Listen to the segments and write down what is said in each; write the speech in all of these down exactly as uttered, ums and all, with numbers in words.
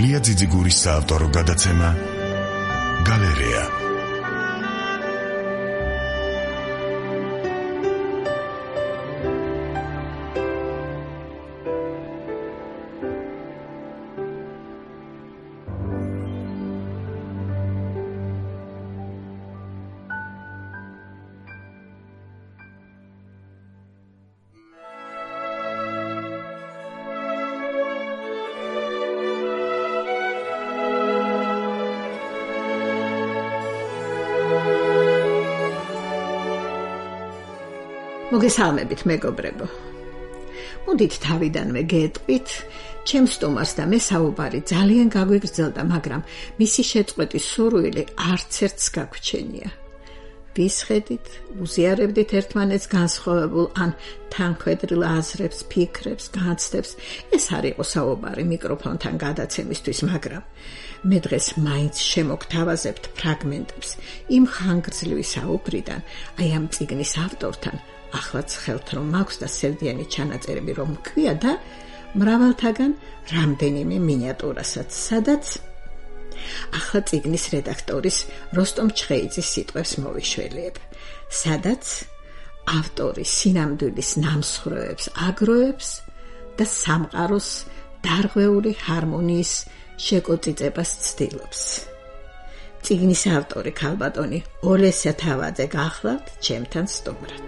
ლია ძიძიგურის საავტორო გადაცემა გალერეა. მოგესალმებით მეგობრებო. მოდით თავიდანვე გეტყვით, ჩემს სტუმარს და მე საუბარი ძალიან გაგვიგრძელდა, მაგრამ მისი შეწყვეტის სურვილი არც ერთს გაგვჩენია. ვისხედით, უზიარებდით ერთმანეთს განსხვავებულ ან თანქვედრილ აზრებს, ფიქრებს, განცდებს. ეს არ იყო საუბარი მიკროფონთან გადაცემისთვის, მაგრამ მე დღეს მაინც შემოგთავაზებთ ფრაგმენტებს იმ ხანგრძლივი საუბრიდან, აი ამ წიგნის ავტორთან. Ახლა ცხელთ რომ მაქვს და სევდიანი ჩანაწერები რომ მქვია და მრავალთაგან რამდენიმე მინიატურასაც, სადაც ახლა წიგნის რედაქტორის როსტომ ჩხეიძის სიტყვებს მოვიშველიებ, სადაც ავტორი სინამდვილის ნამსხვრევებს აგროვებს და სამყაროს დარღვეული ჰარმონიის შეკოწიწებას ცდილობს. წიგნის ავტორი ქალბატონი ოლესია თავაძე გახლავთ ჩემთან სტუმრად.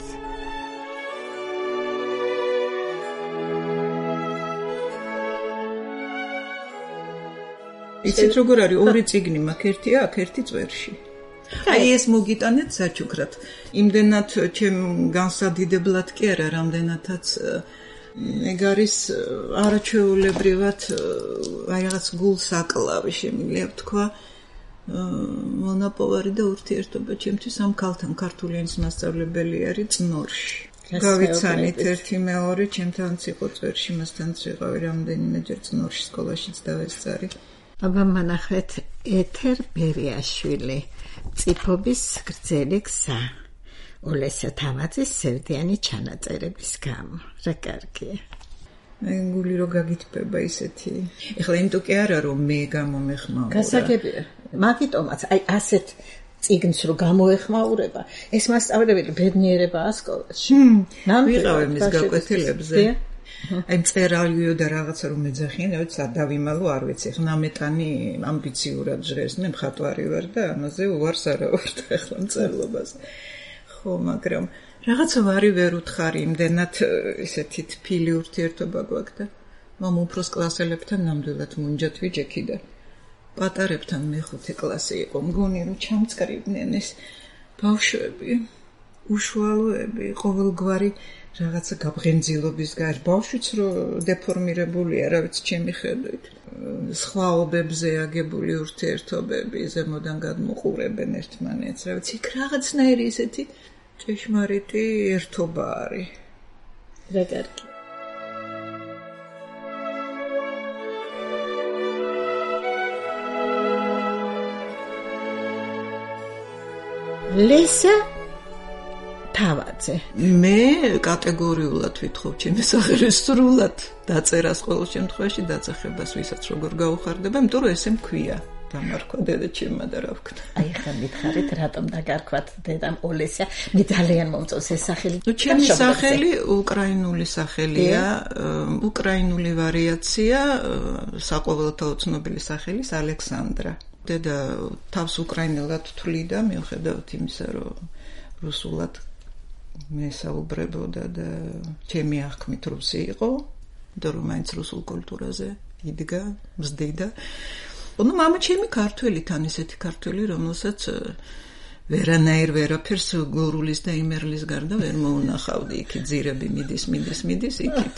იცით როგორ არის ორი წიგნი მაქვს, ერთია აქ, ერთი წვერში. აი ეს მოგიტანეთ საჩუქრად. იმდენად ჩემ განსადიდებლად კი არა, რამდენადაც ეგ არის არაჩვეულებრივად აი რაღაც გულს აკლავი, შემიძლია ვთქვა, მონაპოვარი და ურთიერთობა ჩემთვის ამ ქალთან, ქართული ენის მასწავლებელი არის წნორში. გავიცანით ერთი მეორე, ჩემთანაც იყო წვერში, მასთანაც ვიყავი რამდენიმეჯერ წნორში სკოლაშიც დავესწარი. აბა მანახეთ ეთერ ბერიაშვილი, წიფობის გრძელი გზა, ოლესია თავაძის სევდიანი ჩანაწერების გამო. რა კარგია. მე გული რო გაგიტბება ისეთი. ეხლა იმიტომ კი არა რომ მე გამომეხმაურა. გასაგებია. მაგიტომაც აი ასეთ წიგნს რო გამოეხმაურება, ეს მასწავლებელი ბედნიერებაა სკოლაში. ვიყავი მის გაკვეთილებზე. აი წერალიო და რაღაცა რომ მეძახიან, რაც დავიმალო არ ვიცი. ხა ნამეტანი ამბიციურად ჟღერს, მე მხატვარი ვარ და ამაზე უარს არა ვარ და ახლა მწერლობას. ხო, მაგრამ რაღაცა ვარი ვერ უთხარი, იმდენად ესეთი თბილი ურთიერთობა გვაქვს და მამ უფროს კლასელებთან ნამდვილად მუნჯად ვიჯექი და პატარებთან მეხუთე კლასი იყო, მგონი რომ ჩამწკრივდნენ ეს ბავშვები, უშუალოები, ყოველგვარი რაღაცა გაბრენძილობის გარ ბავშვიც რო დეფორმირებულია, რა ვიცი, ჩემი ხედვით. სხვაობებზე აგებული ურთიერთობები ზემოდან გადმოყურებენ ერთმანეთს, რა ვიცი, იქ რაღაცნაირი ესეთი ჭეშმარიტი ერთობა არის. რა კარგი. ლესა თავაძე. მე კატეგორიულად ვითხოვ ჩემი სახელი სრულად დაწერას ყოველ შემთხვევაში დაწახებას ვისაც როგორ გაუხარდება, იმიტომ რომ ესე მქვია. დამარქვა დედა ჩემმა და რა ვქნა. აი ხა მითხარით რატომ დაგარქვათ დედამ ოლესია? მე ძალიან მომწონს ეს სახელი. ნუ ჩემი სახელი უკრაინული სახელია, უკრაინული ვარიაცია საყოველთაო ცნობილი სახელის ალექსანდრა. დედა თავს უკრაინულად თვლიდა, მიუხედავად იმისა, რომ რუსულად მე საუბრებოდა და ჩემი აღქმით რუსი იყო, და რომ მაინც რუსულ კულტურაზე იდგა, მზდიდა. ну мама ჩემი ქართველი თან ესეთი ქართველი, რომელსაც ვერანაირ ვერაფერს გურულის და იმერლის გარდა ვერ მოუნახავდი. იქ ძირები მიდის, მიდის, მიდის იქით.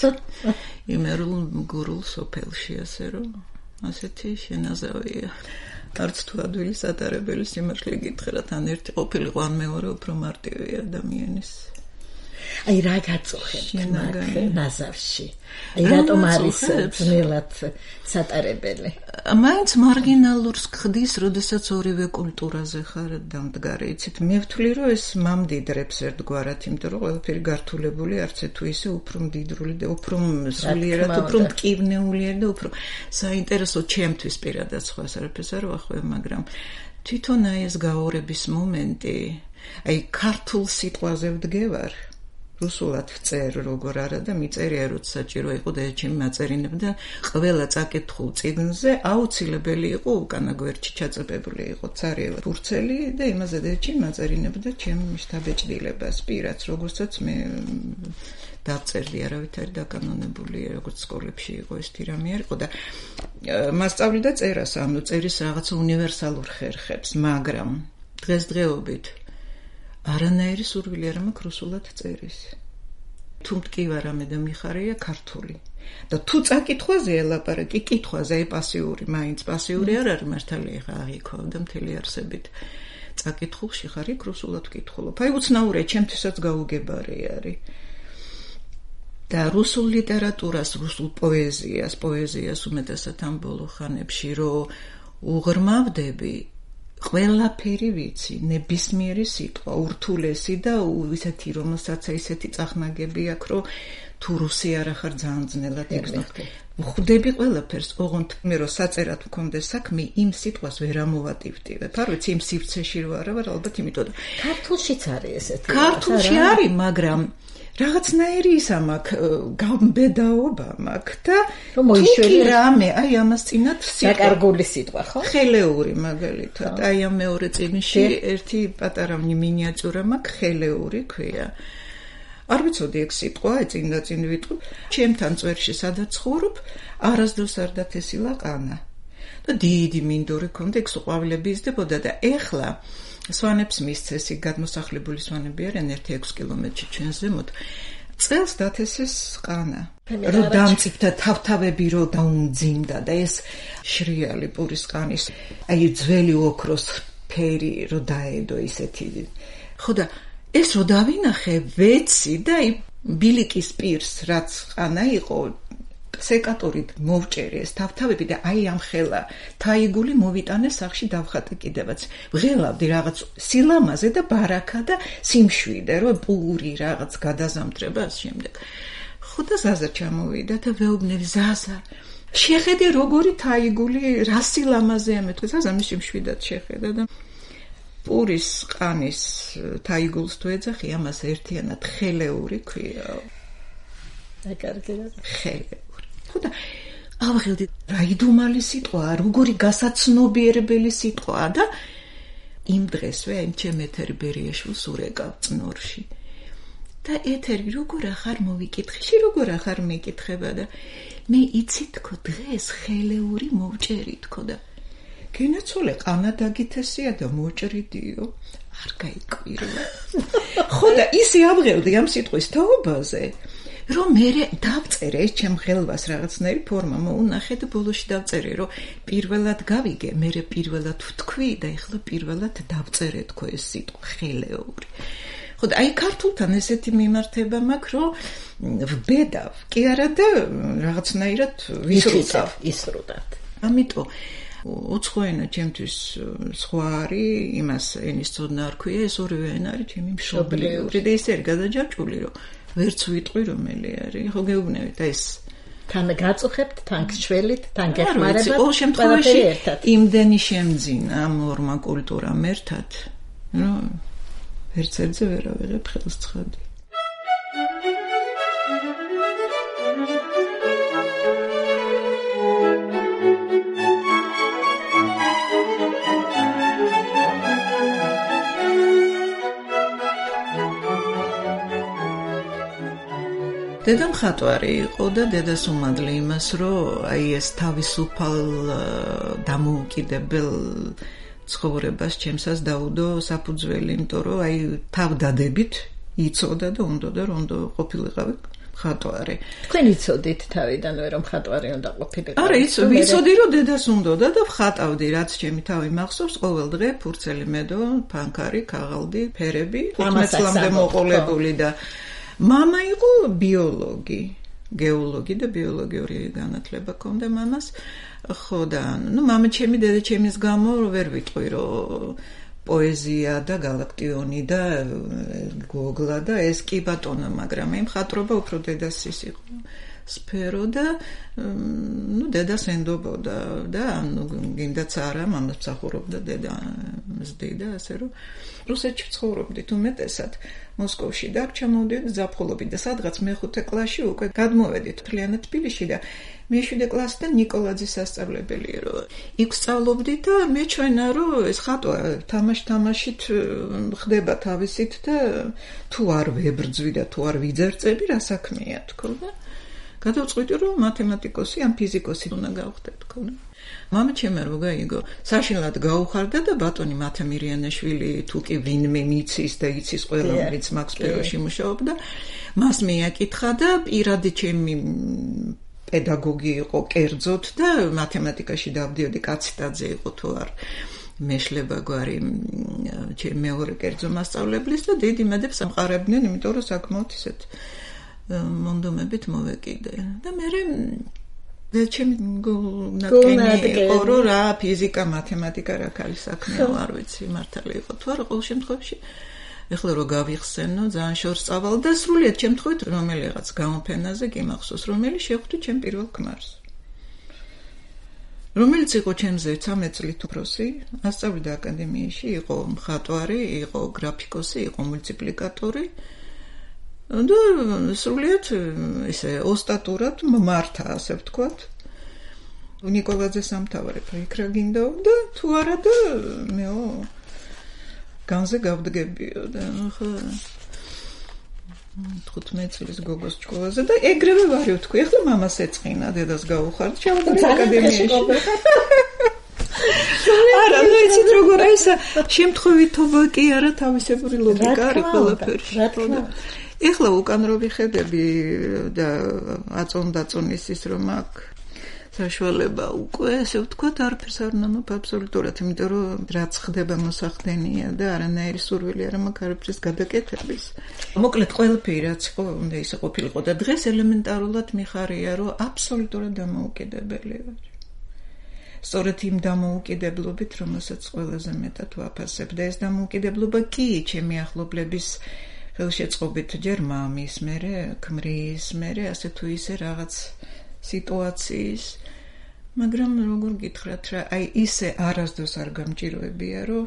იმერულ გურულ სოფელში, ასე რომ ასეთი შენაზავია. არც თუ ადვილი სატარებელი სიმართლე გითხრა, თან ერთი ყოფილიყო, ან მეორე უფრო მარტივი ადამიანის. აი რა გაწუხებთ მაგ ნაზავში? აი რატომ არის ძნელად სატარებელი? მაინც მარგინალურს ხდის, როდესაც ორივე კულტურაზე ხარ დამდგარი. იცით, მე ვთვლი, რომ ეს მამდიდრებს ერთგვარად, იმიტომ რომ ყველაფერი გართულებული არც თუ ისე უფრო მდიდრული და უფრო სულიერად, უფრო მტკივნეულია და უფრო საინტერესო ჩემთვის პირადად სხვას არაფერს არ ვახვევ, მაგრამ თვითონ აი ეს გაორების მომენტი, აი ქართულ სიტყვაზე ვდგევარ, რუსულად ვწერ როგორ არა და მიწერია როცა საჭირო იყო და ჩემი მაწერინებდა ყველა წაკითხულ წიგნზე აუცილებელი იყო უკანა გვერდში ჩაწებებული იყო ცარიელა თურცელი და იმაზე და ჩემი მაწერინებდა ჩემი შთაბეჭდილებას პირაც როგორცაც მე დავწერდი არავითარი დაკანონებული როგორც სკოლებში იყო ეს თირამი არ იყო და მასწავლიდა წერას ანუ წერის რაღაც უნივერსალურ ხერხებს მაგრამ დღესდღეობით არანაირი სურვილი არ მაქვს რუსულად წერის. თუ მткиვა რამე და მიხარია ქართული. და თუ წაკითხვაზე ელაპარაკი, კითხვაზე აი პასიური, მაინც პასიური არ არის მართალია ხა აღიქვა და მთელი არსებით. წაკითხულში ხარ იქ რუსულად ვკითხულობ. აი უცნაურია, ჩემთვისაც გაუგებარი არის. და რუსულ ლიტერატურას, რუსულ პოეზიას, პოეზიას უმეტესად ამ ბოლო ხანებში რომ უღრმავდები ყველაფერი ვიცი, ნებისმიერი სიტყვა, ურთულესი და ისეთი, რომელსაც ისეთი წახნაგები აქვს, რომ თუ რუსი არ ახარ ძალიან ძნელად იგრძნო. ვხვდები ყველაფერს, ოღონდ მე რომ საწერად მქონდეს საქმე, იმ სიტყვას ვერ ამოვატივტივებ. არ ვიცი, იმ სივრცეში რო არა ვარ, ალბათ იმიტომ. ქართულშიც არის ესეთი. ქართულში არის, მაგრამ რაღაცნაირი ის ამაქვს გამბედაობა მაქვს და მოიშველი რამე აი ამას წინათ სიტყვა დაკარგული სიტყვა ხო ხელეური მაგალითად აი ამ მეორე წიგნში ერთი პატარა მინიატიურა მაქვს ხელეური ქვია არ ვიცოდი ეგ სიტყვა წინ და წინ ვიტყვი ჩემთან წვერში სადაც ცხოვრობ არასდროს არ დათესილა ყანა და დიდი მინდორი ქონდა ეგ ყვავილები იზრდებოდა და ეხლა სვანებს მისცეს იქ გადმოსახლებული სვანები არიან ერთი ექვსი კილომეტრში ჩვენს ზემოთ წელს დათესეს ყანა რომ დამწიფდა თავთავები რომ დაუმძიმდა და ეს შრიალი პურის ყანის აი ძველი ოქროს ფერი რომ დაედო ისეთი ხო და ეს რომ დავინახე ვეცი და აი ბილიკის პირს რაც ყანა იყო სეკატორით მოვჭერი ეს თავთავები და აი ამ ხელა თაიგული მოვიტანე სახში დავხატე კიდევაც ვღელავდი რაღაც სილამაზე და ბარაკა და სიმშვიდე რომ პური რაღაც გადაზამთრება ამ შემდეგ ხო და ზაზა ჩამოვიდა და ვეუბნები ზაზა შეხედე როგორი თაიგული რა სილამაზე ამეთქვა ზაზა მის სიმშვიდად შეხედა და პურის ყანის თაიგულს თუ ეძახი ამას ერთიანად ხელეური ქვია და კარგია ხელე და ავღელდი რა იდუმალი სიტყვაა, როგორი გასაცნობიერებელი სიტყვაა და იმ დღესვე იმ ჩემ ეთერ ბერიაშვილს ურეკავ წნორში. და ეთერი როგორ ახარ მოვიკითხე, როგორ ახარ მეკითხება და მე იცი თქო დღეს ხელეური მოვჭერი თქო და გენაცოლე ყანა დაგითესია და მოჭრიდიო არ გაიკვირვა. ხო და ისე ავღელდი ამ სიტყვის თაობაზე რომ მე დავწერე ეს ჩემ ხელვას რაღაცნაირი ფორმა მოუნახე და ბოლოში დავწერე რომ პირველად გავიგე მე პირველად ვთქვი და ეხლა პირველად დავწერე თქო ეს სიტყვა ხელეური ხო და აი ქართულთან ესეთი მიმართება მაქვს რომ ვბედავ კი არა და რაღაცნაირად ვისრუტავ ისრუტავ ამიტომ უცხოენა ჩემთვის სხვა არის იმას ენის ცოდნა არ ქვია ეს ორივე ენა არის ჩემი მშობლიური და ის არის გადაჯაჭვული რომ ვერც ვიტყვი რომელი არის ხო გეუბნებით ეს თან გაწუხებთ თან გშველით თან გეხმარებათ ყოველ შემთხვევაში იმდენი შემძინა ამ ორმა კულტურამ ერთად რომ ვერც ერთზე ვერ ავიღებ ხელს ცხადი დედა მხატვარი იყო და დედას უმადლე იმას, რომ აი ეს თავისუფალ დამოუკიდებელ ცხოვრებას ჩემსაც დაუდო საფუძველი, იმიტომ რომ აი თავდადებით იცოდა და უნდოდა რომ ყოფილიყავი მხატვარი. თქვენ იცოდით თავიდანვე რომ მხატვარი უნდა ყოფილიყავი? არა, იცოდი რომ დედას უნდოდა და ვხატავდი, რაც ჩემი თავი მახსოვს, ყოველ დღე ფურცელი მედო, ფანქარი, ქაღალდი, ფერები, ხუთმეტ წლამდე მოყოლებული და მამა იყო ბიოლოგი, გეოლოგი და ბიოლოგიური განათლება ჰქონდა მამას. ხო და ნუ მამა ჩემი დედა ჩემის გამო ვერ ვიტყვი რომ პოეზია და გალაქტიონი და გოგლა და ეს კი ბატონო, მაგრამ მე მხატვრობა უფრო დედასის იყო სფერო და ნუ დედას ენდობოდა და ნუ გინდაც არა მამას მსახურობდა დედა მზდიდა ასე რომ რუსეთში ცხოვრობდით უმეტესად მოსკოვში და ჩამოვდივით ზაფხულობით და სადღაც მეხუთე კლასში უკვე გადმოვედით მთლიანად თბილისში და მეშვიდე კლასიდან ნიკოლაძის სასწავლებელი რომ იქ სწავლობდით და მეჩვენა რომ ეს ხატვა თამაშ-თამაშით ხდება თავისით და თუ არ ვებრძვი და თუ არ ვიძერწები რა საქმეა თქო და გადავწყვიტე რომ მათემატიკოსი ან ფიზიკოსი უნდა გავხდე თქო და მამა ჩემი რო გაიგო საშინლად გაუხარდა და ბატონი მათე მირიანაშვილი თუ კი ვინმე მიცის და იცის ყველა რომელიც მაქს სფეროში მუშაობდა მას მიაკითხა და პირადი ჩემი პედაგოგი იყო კერძოდ და მათემატიკაში დავდიოდი კაციტაძე იყო თუ არ მეშლება გვარი ჩემი მეორე კერძო მასწავლებლის და დიდი მედებს ამყარებდნენ იმიტომ რომ საკმაოდ ისეთ მონდომებით მოვეკიდე და მე და ჩემი ნაკენი იყო რომ რა ფიზიკა მათემატიკა რა ქალის საქმეა არ ვიცი მართალი იყო თუ არა ყოველ შემთხვევაში ეხლა რო გავიხსენო ძალიან შორს წავალ და სრულიად შემთხვევით რომელიღაც გამოფენაზე კი მახსოვს რომელი შეხვდი ჩემ პირველ ქმარს რომელიც იყო ჩემზე ცამეტ წლით უფროსი ასწავლიდა აკადემიაში იყო მხატვარი იყო გრაფიკოსი იყო მულტიპლიკატორი და სრულიად ესე ოსტატურად მართა ასე ვთქვათ ნიკოლაძე სამთავარეფო იქ რა გინდა და თუ არა და მეო განზე გავდგებიო და ხო თხუთმეტ წლის გოგოს ჭკუაზე და ეგრევე ვარ ვთქვი ახლა მამას ეწყინა დედას გაუხარდა ჩავდარი აკადემიაში არა ნუ იცით როგორ აისა შემთხვევითობა კი არა თავისებური ლოგიკა არის ყველაფერში ეხლა უკან რო ვიხედები და აწონ-დაწონის ის რომ აქ საშუალება უკვე ესე ვთქვათ არაფერს არ ნამობ აბსოლუტურად იმიტომ რომ რაც ხდება მოსახდენია და არანაირი სურვილი არ მაქვს არაფრის გადაკეთების მოკლედ ყველაფერი რაც იყო უნდა ისე ყოფილიყო და დღეს ელემენტარულად მიხარია რომ აბსოლუტურად დამოუკიდებელი ვარ სწორედ იმ დამოუკიდებლობით რომელსაც ყველაზე მეტად ვაფასებ და ეს დამოუკიდებლობა კი ჩემი ახლობლების ხელშეწყობით ჯერ მამის მერე ქმრის მერე ასე თუ ისე რაღაც სიტუაციის მაგრამ როგორ გითხრათ რა აი ისე არასდროს არ გამჭიროებია რომ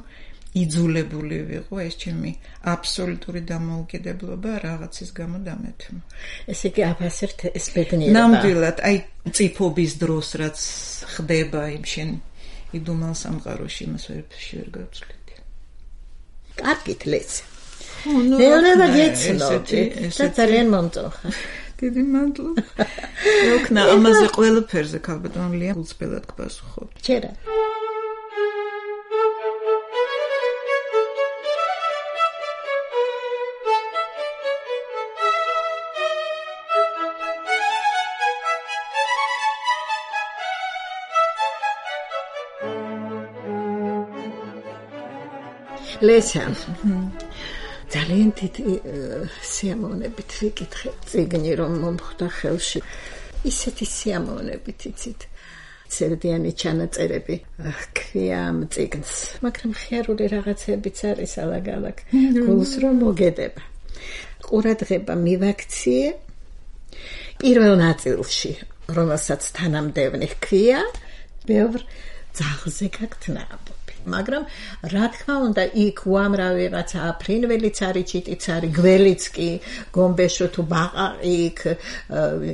იძულებული ვიყო ეს ჩემი აბსოლუტური დამოუკიდებლობა რაღაცის გამო დამეთმო ესე იგი აფასებთ ეს ბედნიერება ნამდვილად აი წიფობის დროს რაც ხდება იმ შენ იდუმალ სამყაროში მას ვერ ვერ გავწლით კარგით ლეცი მეურვება გეცნობდი და ძალიან მომწონხარ დიდი მადლობა. როქნა ამაზე ყველაფერზე ქალბატონ ლია გულწრფელად გპასუხობ. ჩერა. ლესა. ძალიან დიდი სიამოვნებით ვიკითხე წიგნი რომ მომხვდა ხელში ისეთი სიამოვნებით იცით ცერდიანი ჩანაწერები ქვია ამ წიგნს მაგრამ ხიარული რაღაცებიც არის ალაგ-ალაგ გულს რომ მოგედება ყურადღება მივაქციე პირველ ნაწილში რომელსაც თანამდევნი ქვია ბევრ ძაღლზე გაქვთ ნაბობი მაგრამ რა თქმა უნდა იქ უამრავი რაღაცა ფრინველიც არის ჩიტიც არის გველიც კი გომბეშო თუ ბაყაყი იქ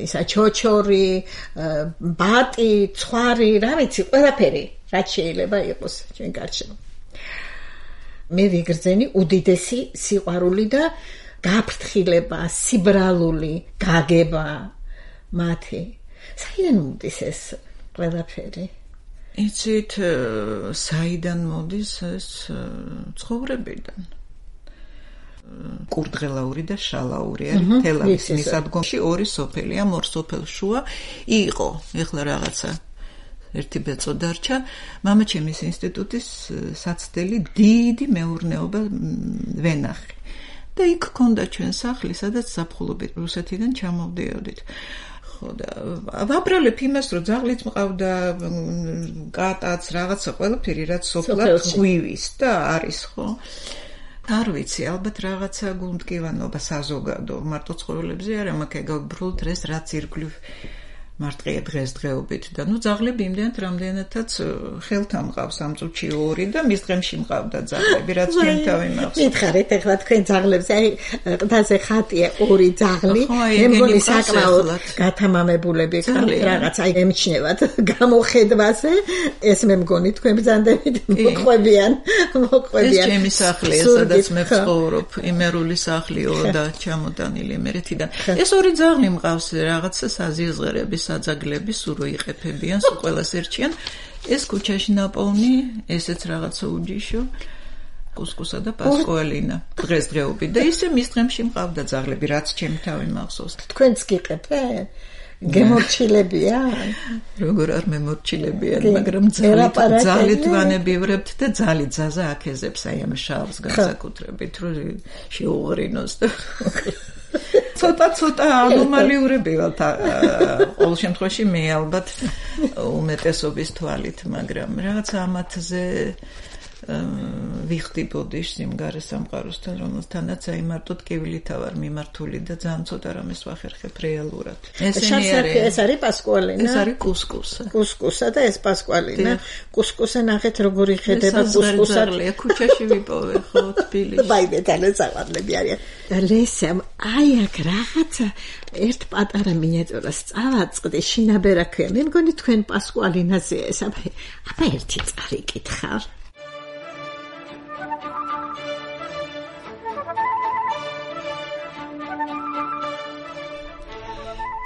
ისა ჩოჩორი ბატი ცხვარი რა ვიცი ყველაფერი რაც შეიძლება იყოს ჩვენ გარშემო მე ვიგრძენი უდიდესი სიყვარული და გაფრთხილება სიბრალული გაგება მათი საიდან მოდის ეს ყველაფერი იცით საიდან მოდის ეს ცხოვრებიდან კურდღელაური და შალაური არის თელავის მისადგომში ორი სოფელია ორ სოფელ შუა იყო ეხლა რაღაცა ერთი ბეწო დარჩა მამა ჩემის ინსტიტუტის საცდელი დიდი მეურნეობა ვენახი და იქ ქონდა ჩვენ სახლი, სადაც ზაფხულობით რუსეთიდან ჩამოვდიოდით. ხო და ვაბრალებ იმას, რომ ძაღლიც მყავდა, კატაც, რაღაცა ყველაფერი, რაც სოფლად ღვივის და არის, ხო? არ ვიცი, ალბათ რაღაცა გულმტკივანობა საზოგადო, მარტო ცხოველებზე არა, მაგრამ გაბრუნდ ეს რაც ირგვლივ მარტყია დღესდღეობით და ნუ ძაღლები იმდენად რამდენადაც ხელთან მყავს ამ წუთში ორი და მის დღემში მყავდა ძაღლები, რაც ჩვენ თავი მახსოვს. მითხარით ახლა თქვენ ძაღლებს, აი ყდაზე ხატია ორი ძაღლი, მე მგონი საკმაოდ გათამამებულები რაღაც აი ემჩნევათ გამოხედვაზე, ეს მე მგონი თქვენ ბრძანდებით მოყვებიან, მოყვებიან. ეს ჩემი სახლია, სადაც მე ვცხოვრობ, იმერული სახლიო და ჩამოტანილი იმერეთიდან. ეს ორი ძაღლი მყავს რაღაცა საზიაზღერების საძაგლები სულ იყეფებიან, სულ ყველას ერჩიან. ეს ქუჩაში ნაპოვნი, ესეც რაღაცა უჯიშო, კუსკუსა და პასკუალინა დღესდღეობით და ისე მის დღემში მყავდა ძაღლები, რაც ჩემი თავი მახსოვს. თქვენც გიყეფენ? გემორჩილებიან? როგორ არ მემორჩილებიან, მაგრამ ძალით ვანებივრებთ და ძალით ზაზა აქეზებს აი ამ შავს განსაკუთრებით, რომ შეუღრინოს და ცოტა ცოტა ანომალიურები ვართ ყოველ შემთხვევაში მე ალბათ უმეტესობის თვალით, მაგრამ რაღაც ამათზე ვიხდი ბოდიშ სიმღერა სამყაროსთან, რომელთანაც აი მარტო ტკივილითა ვარ მიმართული და ძალიან ცოტა რამეს ვახერხებ რეალურად. ესენი არის ეს არის პასკუალინა. ეს არის კუსკუსა. კუსკუსა და ეს პასკუალინა. კუსკუსა ნახეთ როგორი ხედება კუსკუსა. ქუჩაში ვიპოვე ხო თბილისში. ბაიდე თალესავარლები არიან. და ლესამ აი აქ რაღაცა ერთ პატარა მინიატიურას წავაწყდი შინაბერა ქვია. მე მგონი თქვენ პასკუალინაზე ეს აბა აბა ერთი წარიკითხავ.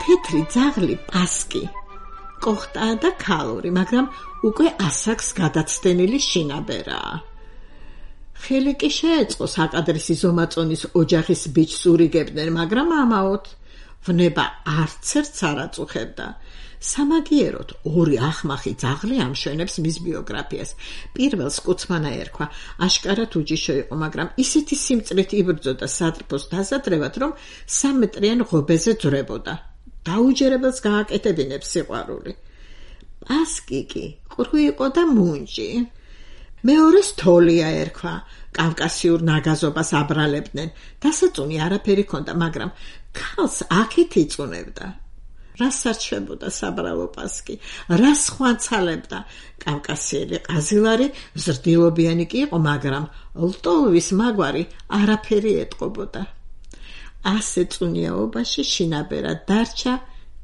თეთრი ძაღლი პასკი კოხტაა და ქალური, მაგრამ უკვე ასაკს გადაცდენილი შინაბერაა. ხელი კი შეეწყო საკადრისი ზომაწონის ოჯახის ბიჭს ურიგებდნენ, მაგრამ ამაოდ ვნება არცერთს არ აწუხებდა. სამაგიეროდ ორი ახმახი ძაღლი ამშვენებს მის ბიოგრაფიას. პირველს კუცმანა ერქვა, აშკარად უჯიშო იყო, მაგრამ ისეთი სიმწრით იბრძოდა სატრფოს დასადრევად, რომ სამეტრიან ღობეზე ძვრებოდა. დაუჯერებელს გააკეთებინებს სიყვარული. პასკი კი ყრუ იყო და მუნჯი. მეორეს თოლია ერქვა, კავკასიურ ნაგაზობას აბრალებდნენ. დასაწუნი არაფერი ჰქონდა, მაგრამ ქალს აქეთ იწუნებდა. რას სარჩებოდა საბრალო პასკი, რას ხვანცალებდა. კავკასიელი ყაზილარი ზრდილობიანი კი იყო, მაგრამ ლტოვის მაგვარი არაფერი ეტყობოდა. ასე წუნიაობაში შინაბერა დარჩა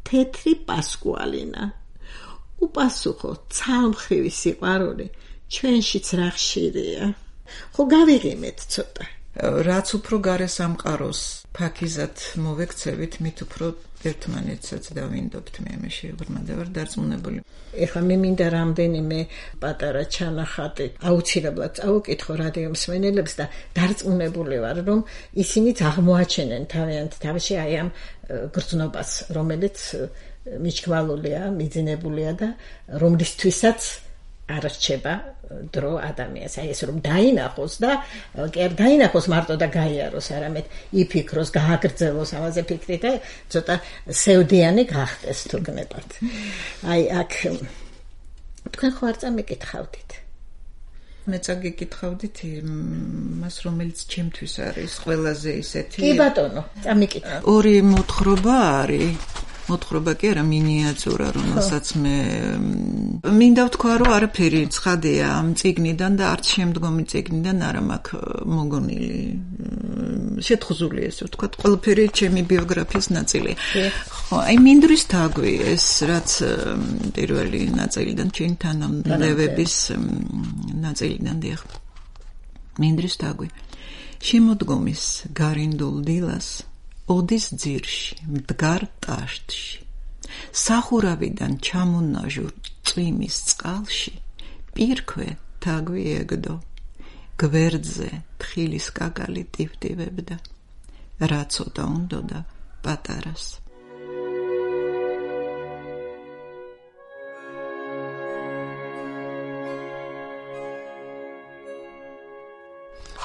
თეთრი პასკუალინა. უპასუხო ცალმხრივი სიყვარული ჩვენშიც რა ხშირია. ხო გავიღიმეთ ცოტა. რაც უფრო გარესამყაროს ფაქიზად მოვექცევით, მით უფრო ერთმანეთსაც დავინდობთ. მე მე შეუბრმად ვარ დარწმუნებული. ეხლა მე მინდა რამდენიმე პატარა ჩანახატი აუცილებლად წავუკითხო რადიო მსმენელებს და დარწმუნებული ვარ, რომ ისინიც აღმოაჩენენ თავიანთ თავში აი ამ გრძნობას, რომელიც მიჩქმალულია, მიძინებულია და რომლისთვისაც არ რჩება დრო ადამიანს. აი ეს რომ დაინახოს და კი არ დაინახოს მარტო და გაიაროს, არამედ იფიქროს, გააგრძელოს ამაზე ფიქრი და ცოტა სევდიანი გახდეს თუ გნებათ. აი აქ თქვენ ხო არ წამიკითხავდით? მე წაგიკითხავდით მას, რომელიც ჩემთვის არის ყველაზე ისეთი. კი ბატონო, წამიკითხავ. ორი მოთხრობა არის. მოთხრობა კი არა, მინიატურა, რომელსაც მე მინდა ვთქვა, რომ არაფერი ცხადია ამ წიგნიდან და არც შემდგომი წიგნიდან არა მაქვს მოგონილი. შეთხზული ესე ვთქვა, ყველაფერი ჩემი ბიოგრაფიის ნაწილია. ხო, აი მინდვრის თაგვი ეს, რაც პირველი ნაწილიდან ჩემი თანამდებების ნაწილიდან დიახ. მინდვრის თაგვი. შემოდგომის გარინდულ დილას ოდის ძირში, მდგარ ტაშტში, სახურავიდან ჩამონაჟურ წვიმის წყალში, პირქვე თაგვი ეგდო, გვერდზე თხილის კაკალი ტივტივებდა, რა ცოტა უნდოდა პატარას.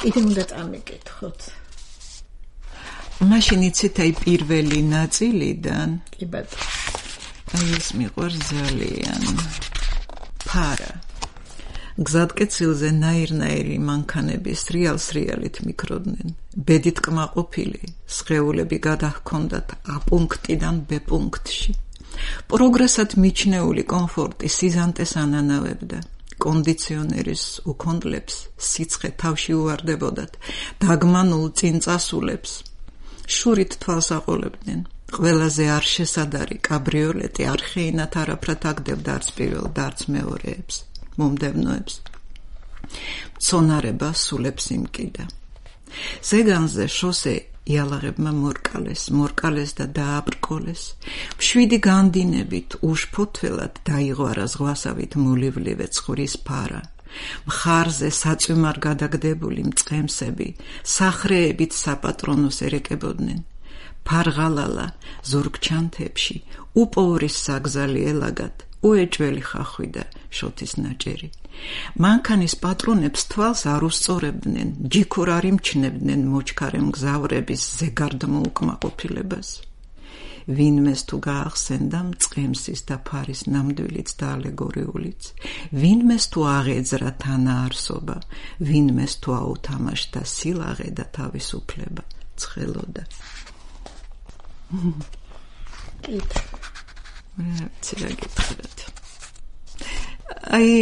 კიდე უნდა წამიკითხოთ. მაშინ იცით აი პირველი ნაწილიდან კი ბატონო აი ეს მიყვარს ძალიან ფარა გზადკეცილზე ნაირ-ნაირი მანქანების რეალს რეალით მიკროდნენ ბედით კმაყოფილი სხეულები გადაჰქონდათ A პუნქტიდან B პუნქტში პროგრესად მიჩნეული კომფორტი სიზანტეს ანანავებდა კონდიციონერის უქონდლებს სიცხე თავში უვარდებოდათ დაგმანულ წინწასულებს შურით თვალს აყოლებდნენ ყველაზე არ შესადარი კაბრიოლეტი არხეინათ არაფრად აგდებდა არც პირველ და არც მეორეებს მომდევნოებს მცონარება სულებს იმკიდა ზეგანზე შოსე იალაღებმა მორკალეს მორკალეს და დააბრკოლეს მშვიდი განდინებით უშფოთველად დაიღვარა ზღვასავით მოლივლივე ცხვრის ფარა მხარზე საწვიმარ გადაგდებული მწყემსები სახრეებით საპატრონოს ერეკებოდნენ ფარღალალა ზურგჩანთებში უპოვრის საგზალი ელაგად უეჭველი ხახვი და შოთის ნაჭერი მანქანის პატრონებს თვალს არ უსწორებდნენ ჯიქურ არ იმჩნევდნენ მოჩქარე მგზავრების ზეგარდმო უკმაყოფილებას ვინმეს თუ გაახსენდა მწყემსის და ფარის ნამდვილიც და ალეგორიულიც ვინმეს თუ აღეძრა თანაარსობა ვინმეს თუ აუთამაშდა სილაღე და თავისუფლება ცხელოდა კით ცირა გითხრათ აი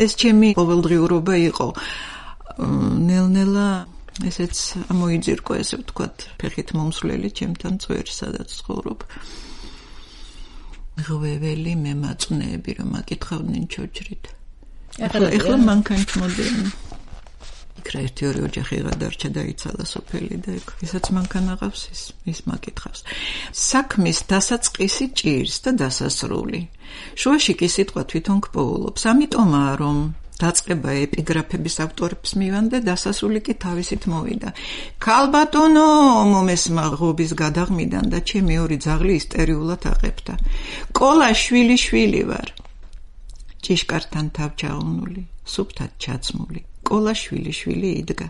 ეს ჩემი ყოველდღიურობა იყო ნელ-ნელა ესეც ამოიძირკო ესე ვთქვათ ფეხით მომსვლელი ჩემთან წვერი სადაც ცხოვრობ ღვეველი მემაწვნეები რომ აკითხავდნენ ჩოჯრით ახლა ახლა მანქანით მოდიან იქ რა ერთი ორი ოჯახი გადარჩა და იცალა სოფელი და იქ ისაც მანქანა ყავს ის ის მაკითხავს საქმის დასაწყისი ჭირს და დასასრული შუაში კი სიტყვა თვითონ გპოულობს ამიტომაა რომ დაწყება ეპიგრაფების ავტორებს მივანდა დასასრული კი თავისით მოვიდა ქალბატონო მომესმა ღობის გადაღმიდან და ჩემი ორი ძაღლი ისტერიულად აყებდა კოლა შვილი შვილი ვარ ჭიშკართან თავჩაუნული სუფთად ჩაცმული კოლა შვილი შვილი იდგა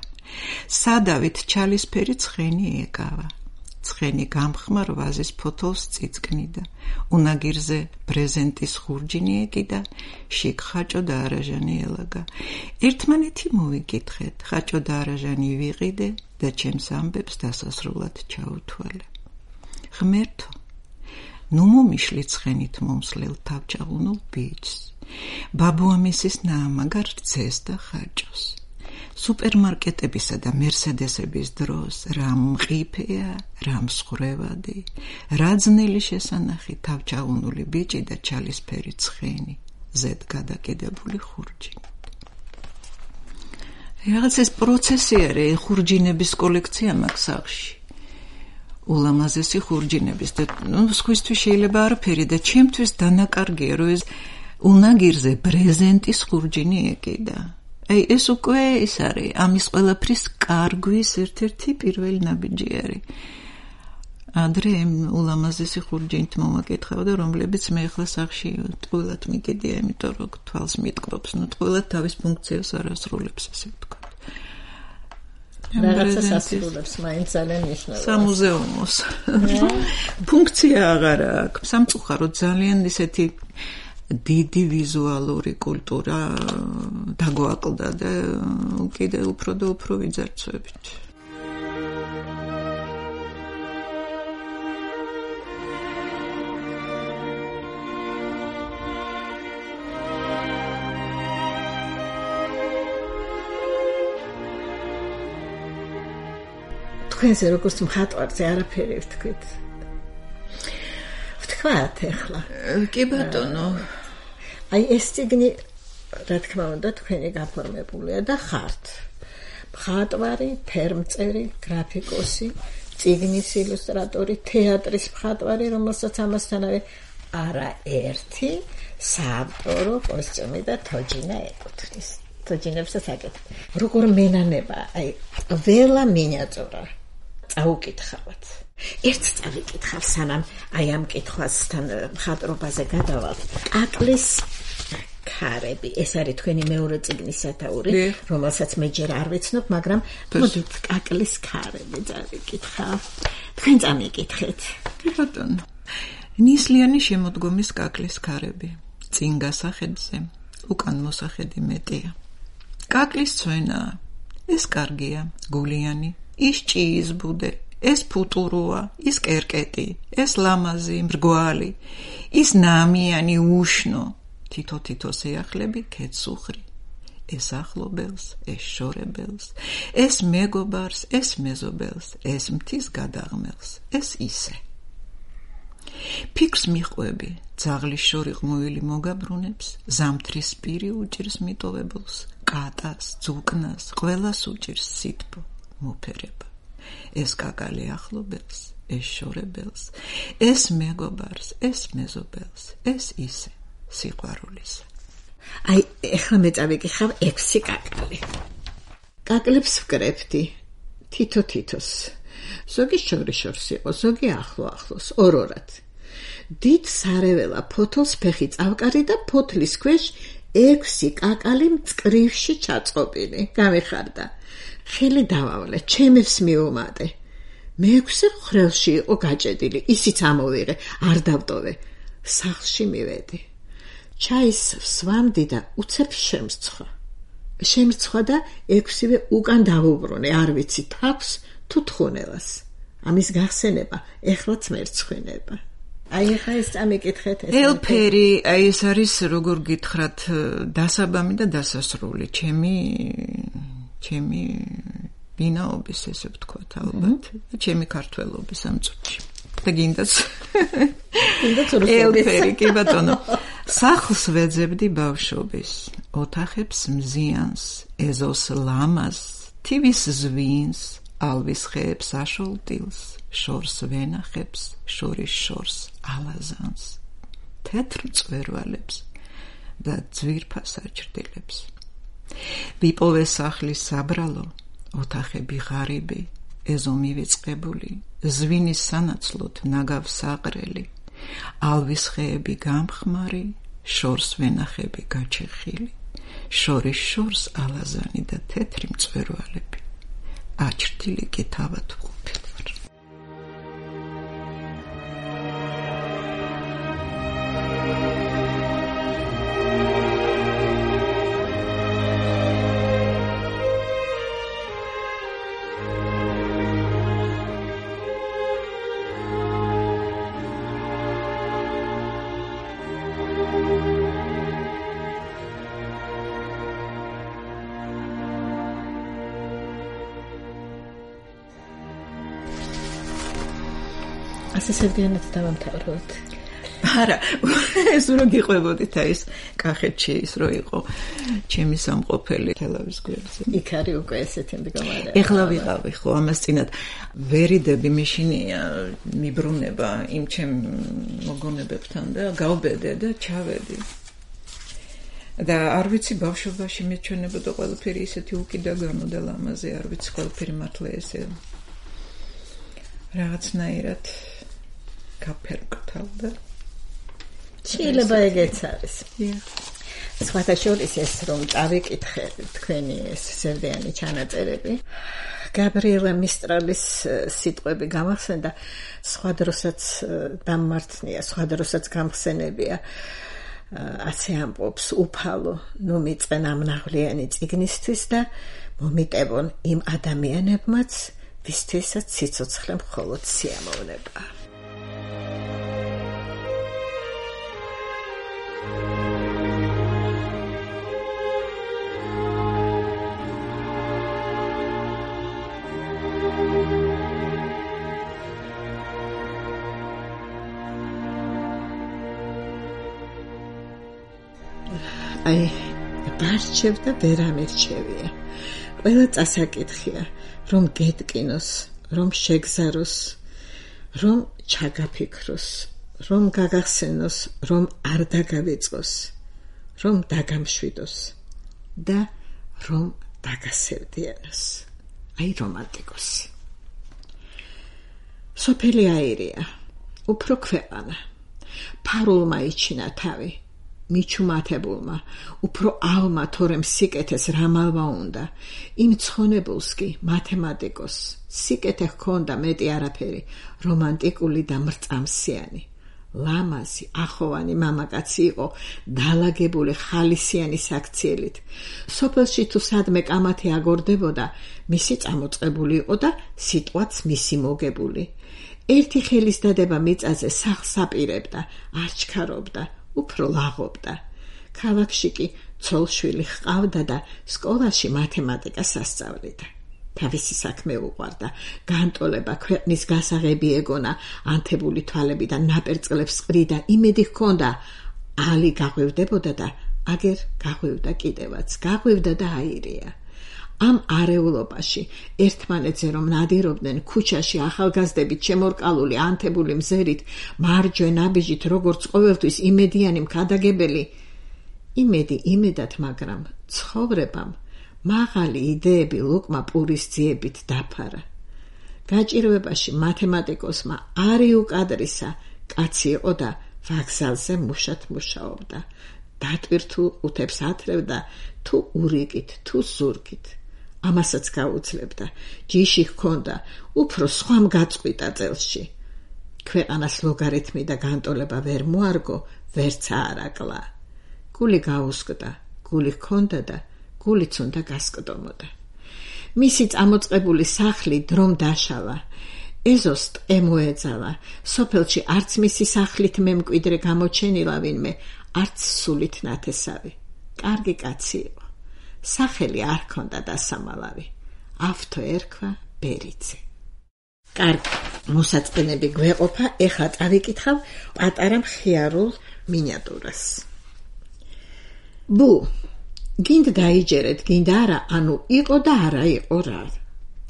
სადავით ჩალისფერი ცხენი ეკავა ცხენი გამხმარ ვაზის ფოთოლს წიწკნიდა უნაგირზე ბრეზენტის ხურჯინი ეკიდა შიგ ხაჭო და არაჟანი ელაგა ერთმანეთი მოვიკითხეთ ხაჭო და არაჟანი ვიყიდე და ჩემს ამბებს დასასრულად ჩაუთვალე ღმერთო ნუ მომიშლი ცხენით მომსლელ თავჩაღუნულ ბიჭს ბაბუამისის ნაამაგარ რძეს და ხაჭოს სუპერმარკეტებისა და მერსედესების დროს რამ მყიფეა, რამ მსხრევადი, რა ძნელი შესანახი თავჩაღუნული ბიჭი და ჩალისფერი ცხენი, ზედ გადაკიდებული ხურჯინით. რაღაც ეს პროცესი არის ხურჯინების კოლექცია მაქვს სახლში. ულამაზესი ხურჯინების და ნუ სხვისთვის შეიძლება არაფერი და ჩემთვის დანაკარგია რომ ეს უნაგირზე ბრეზენტის ხურჯინი ეკიდა. აი ეს უკვე ის არის ამის ყველაფრის კარგვის ერთ-ერთი პირველი ნაბიჯი არის. ადრე ულამაზესი ხურჯინით მომაკითხავდა რომლებიც მე ახლა სახში ტყუილად მიგედია იმიტომ რომ თვალს მიტკბობს ნუ ტყუილად თავის ფუნქციას არ ასრულებს ესე ვთქვა. რაღაცას ასრულებს მაინც ძალიან მნიშვნელოვანია. სამუზეუმოს ფუნქცია აღარ აქვს. სამწუხაროდ ძალიან ისეთი დიდი ვიზუალური კულტურა დაგვაკლდა და კიდე უფრო და უფრო ვიძარცვებით. თქვენზე როგორც მხატვარზე არაფერი ვთქვით. ვთქვათ ახლა. კი ბატონო. აი ეს ციგნი რა თქმა უნდა თქვენი გაფორმებულია და ხართ. მხატვარი, ფერმწერი, გრაფიკოსი, ციგნის ილუსტრატორი, თეატრის მხატვარი, რომელსაც ამასთანავე არა ერთი საავტორო კოსტიუმი და თოჯინა ეკუთვნის. თოჯინებსაც აკეთებ. როგორ მენანება, აი ყველა მინიატურა წაუკითხავთ. ერთ წავიკითხავ სანამ აი ამ კითხვასთან მხატვრობაზე გადავალთ. კაკლის ქარები. ეს არის თქვენი მეორე წიგნის სათაური, რომელსაც მე ჯერ არ ვიცნობ, მაგრამ მოდით კაკლის ქარები წავიკითხავ. თქვენ წამიკითხეთ. კი ბატონო. ნისლიანი შემოდგომის კაკლის ქარები. წინ გასახედზე, უკან მოსახედი მეტია. კაკლის ცვენა, ეს კარგია, გულიანი, ის ჭიის ბუდე, ეს ფუტუროა, ის კერკეტი, ეს ლამაზი, მრგვალი, ის ნამიანი, უშნო, თითო-თითო შეახლები ქეცუხრი. ეს ახლობელს, ეს შორებელს, ეს მეგობარს, ეს მეზობელს, ეს მთის გადაღმელს, ეს ისე. ფიქრს მიყვები, ძაღლის შორი ღმუილი მოგაბრუნებს, ზამთრის პირი უჭირს მიტოვებულს, კატას, ძუკნას, ყველას უჭირს სითბო, მოფერება. ეს კაკალი ახლობელს, ეს შორებელს, ეს მეგობარს, ეს მეზობელს, ეს ისე, სიყვარულისა. აი, ეხლა მე წავიკითხავ ექვსი კაკალი. კაკლებს ვკრებდი, თითო-თითოს. ზოგი შორი-შორს იყო, ზოგი ახლო-ახლოს, ორ-ორად. დიდ სარეველა ფოთოლს ფეხი წავკარი და ფოთლის ქვეშ ექვსი კაკალი მწკრივში ჩაწყობილი. გამიხარდა. ხელი დავავლე, ჩემებს მიუმატე. მეექვსე ხრელში იყო გაჭედილი, ისიც ამოვიღე, არ დავტოვე. სახლში მივედი. ჩაის ვსვამდი და უცებ შემსცხვა. შემსცხვა და ექვსივე უკან დავუბრუნე, არ ვიცი თავს თუ თხუნელას. ამის გახსენება ეხლაც მერცხვინება. აი ახლა ეს წამიკითხეთ. ელფერი, აი ეს არის როგორ გითხრათ, დასაბამი და დასასრული, ჩემი ჩემი ბინაობის, ესე ვთქვათ, ალბათ, ჩემი ქართველობის ამ წუთში. და გინდაც ელფერი, კი ბატონო. სახლს ვეძებდი ბავშვობის, ოთახებს მზიანს, ეზოს ლამაზ, თივის ზვინს, ალვის ხეებს აშოლტილს, შორს ვენახებს, შორის შორს ალაზანს, თეთრ მწვერვალებს და ძვირფას აჭრდილებს. ვიპოვე სახლის საბრალო, ოთახები ღარიბი, ეზო მივიწყებული, ზვინის სანაცვლოდ ნაგავ საყრელი, ალვის ხეები გამხმარი, შორს ვენახები გაჩეხილი, შორის შორს ალაზანი და თეთრი მწვერვალები. აჭრდილი კი თავად ვყოფილ ვარ. ასე სევდიანად დავამთავროთ. არა, ეს რო გიყვებოდით აი ეს კახეთში ის რო იყო ჩემი სამყოფელი თელავის გვერდზე. იქ არის უკვე ესეთი მდგომარე. ეხლა ვიყავი ხო ამას წინათ ვერიდები მეშინია მიბრუნება იმ ჩემ მოგონებებთან და გავბედე და ჩავედი. და არ ვიცი ბავშვობაში მეჩვენებოდა ყველაფერი ისეთი უკიდაგანო და ლამაზი, არ ვიცი ყველაფერი მართლა ესე რაღაცნაირად გაფერმკრთალდა. შეიძლება ეგეც არის. სხვათა შორის ეს რომ წავიკითხე თქვენი ეს სევდიანი ჩანაწერები, გაბრიელა მისტრალის სიტყვები გამახსენდა, სხვა დროსაც დამმართნია, სხვა დროსაც გამხსენებია. ასე ამბობს უფალო, ნუ მიწენ ამ ნაღვლიანი წიგნისთვის და მომიტევონ იმ ადამიანებმაც, ვისთვისაც სიცოცხლე მხოლოდ სიამოვნება. აი, ბარჩევ და ვერ ამერჩევია. ყველა წასაკითხია, რომ გეტკინოს, რომ შეგზაროს, რომ ჩაგაფიქროს, რომ გაგახსენოს, რომ არ დაგავიწყოს, რომ დაგამშვიდოს და რომ დაგასევდიანოს. აი რომანტიკოსი. სოფელი აირია, უფრო ქვეყანა. ფარულმა იჩინა თავი. მიჩუმათებულმა, უფრო ალმა თორემ სიკეთეს რამალვა უნდა, იმ ცხონებულს კი მათემატიკოს, სიკეთე ჰქონდა მეტი არაფერი, რომანტიკული და მრწამსიანი. ლამაზი, ახოვანი მამაკაცი იყო, დალაგებული ხალისიანი საქციელით. სოფელში თუ სადმე კამათი აგორდებოდა, მისი წამოწყებული იყო და სიტყვაც მისი მოგებული. ერთი ხელის დადება მიწაზე სახლს აპირებდა, არჩქარობდა, უფრო ლაღობდა. ქალაქში კი ცოლშვილი ჰყავდა და სკოლაში მათემატიკას ასწავლიდა. თავისი საქმე უყვარდა, განტოლება, ქვეყნის გასაღები ეგონა, ანთებული თვალებიდან ნაპერწკლებს ყრიდა, იმედი ჰქონდა, ალი გაღვივდებოდა და აგერ გაღვივდა კიდევაც, გაღვივდა და აირია. ამ არეულობაში ერთმანეთზე რომ ნადირობდნენ, ქუჩაში ახალგაზრდებით შემორკალული ანთებული მზერით, მარჯვენ აბიჯით, როგორც ყოველთვის იმედიანი მქადაგებელი, იმედი იმედად, მაგრამ ცხოვრებამ მაღალი იდეები ლუკმა პურის ძიებით დაფარა. გაჭირვებაში მათემატიკოსმა არი უკადრისა კაცი იყო და ვაგზალზე მუშად მუშაობდა. დატვირთულ ყუთებს ათრევდა თუ ურიკით, თუ ზურგით. ამასაც გაუძლებდა. ჯიში ჰქონდა, უფრო სხვამ გაწყვიტა წელში. ქვეყანას ლოგარითმი და განტოლება ვერ მოარგო, ვერც აარაკლა. გული გაუსკდა, გული ჰქონდა და გულიც უნდა გასკდომოდა. მისი წამოწყებული სახლი დრომ დაშალა. ეზოს ტყე მოეძალა. სოფელში არც მისი სახლით მემკვიდრე გამოჩენილა ვინმე, არც სულით ნათესავი. კარგი კაცი იყო. სახელი არ ჰქონდა დასამალავი. ავთო ერქვა ბერიძე. კარგი, მოსაწყენები გვეყოფა, ეხლა წავიკითხავ პატარა მხიარულ მინიატურას. ბუ გინდ დაიჯერეთ, გინდ არა, ანუ იყო და არა იყო რა.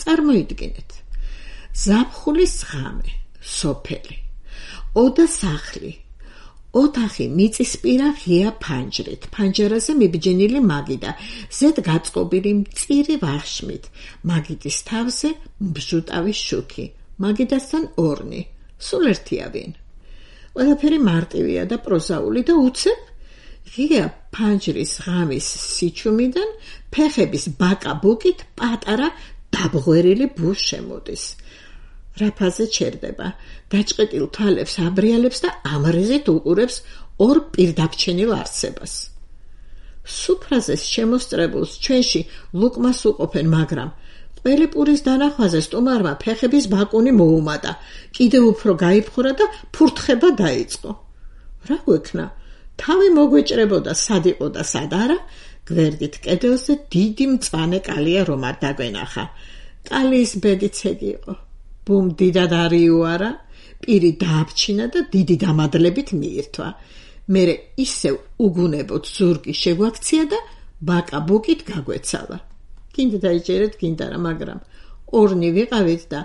წარმოიდგინეთ. ზაფხულის ღამე, სოფელი, ოდა სახლი, ოთახი მიწისპირა ღია ფანჯრით, ფანჯარაზე მიბჯენილი მაგიდა, ზედ გაწყობილი მწირი ვახშმით, მაგიდის თავზე მბჟუტავი შუქი, მაგიდასთან ორნი, სულ ერთია ვინ. ყველაფერი მარტივია და პროზაული და უცებ ღია ფანჯრის ღამის სიჩუმიდან ფეხების ბაკა-ბუკით პატარა დაბღვერილი ბუ შემოდის. რაფაზე ჩერდება, დაჭყეტილ თვალებს აბრიალებს და ამრეზით უყურებს ორ პირდაბჩენილ არსებას. სუფრაზეს შემოსწრებულს ჩვენში ლუკმას უყოფენ, მაგრამ ყველი პურის დანახვაზე სტუმარმა ფეხების ბაკუნი მოუმატა, კიდევ უფრო გაიფხურა და ფურთხება დაიწყო. რა გვექნა? თავი მოგვეჭრებოდა, სად იყო და სად არა, გვერდით კედელზე დიდი მწვანე კალია რომ არ დაგვენახა. კალიის ბედიც ეგ იყო. ბუმ დიდად არიუარა, პირი დააბჩინა და დიდი დამადლებით მიირთვა. მერე ისევ უგუნებოდ ზურგი შეგვაქცია და ბაკა-ბუკით გაგვეცალა. გინდა დაიჯერეთ, გინდა არა, მაგრამ ორნი ვიყავით და